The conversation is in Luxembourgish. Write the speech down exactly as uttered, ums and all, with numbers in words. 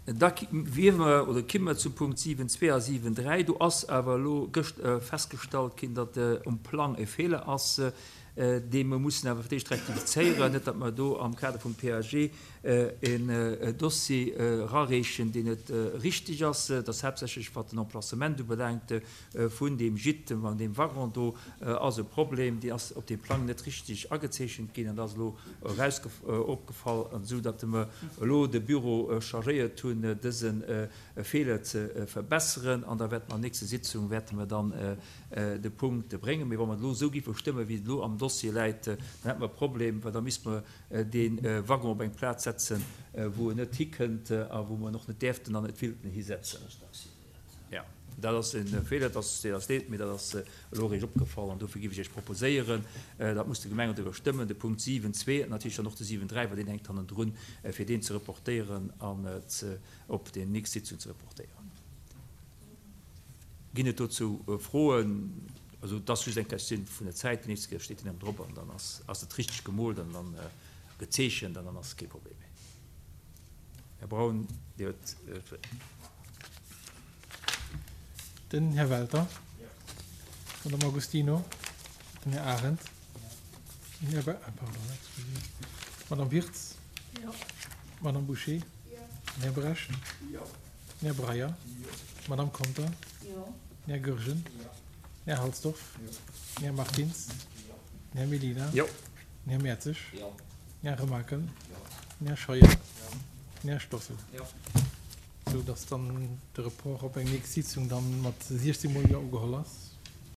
Da wiere mer oder kimme mer zum Punkt siwen zwee a siwen dräi. Do ass awer elo gëscht festgestallt ginn, datt um Plang e Feeler ass, dee mer mussen awer fir d'éischt rektifizéieren, net datt mer do am Kader vum P A G en Dossier erareechen, deen net richteg ass. Dat ass haaptsächlech wat den Emplacement ubelaangt vun deem Gîte, an deem Waggon do ass e Problem, dee ass op deem Plang net richteg agezeechent ginn an dat ass elo opgefall, esou datt mer elo de Büro chargéiert hunn, dëse Feeler ze verbesseren, an da wäerte mer an der nächster Sitzung wäerte mer dann de Punkt bréngen. Mee wa mer et elo esou géife stëmmen, wéi et elo am Dossier läit, dann hätte mer e Problem, well da misste mer dee Waggon op eng Plaz setzen, wou en net hikënnt a wou mer en och net däerften an net wéilten hisetzen. Jo, dat ass e Feeler, dat ass, deet eis leed, mee dat ass elo eréischt opgefall an dofir géif ech Iech proposéieren, dat muss de Gemengerot iwwerstëmmen, de Punkt siwen zwee an natierlech dann och de siwen dräi, well deen hänkt hannendrun, fir deen ze reportéieren an ze op déi nächst Sitzung ze reportéieren. Ginn et dozou Froen? Also et ass just eng Questioun vun der Zäit. Déi nächst Kéier steet deen erëm drop an dann ass ass et richteg gemoolt an dann gezeechent an dann ass kee Problem méi. Här Braun, Dir huet d'Wuert. Den Här Welter. D'Madame Agostino. Den Här Arendt. Den Här Be-, pardon, excusez. D'Madame Wirtz. D'Madame Bouché. Den Här Brecht. Den Här Breyer. D'Madame Conter. Den Här Goergen. Den Här Halsdorf. Den Här Martins. Den Här Mellina. Den Här Mertzig. Den Här Remakel. Den Här Scheuer. Den Här Stoffel. Sou dass dann de Report op eng nächst Sitzung dann mat siechzéng Mol Jo ugeholl ass.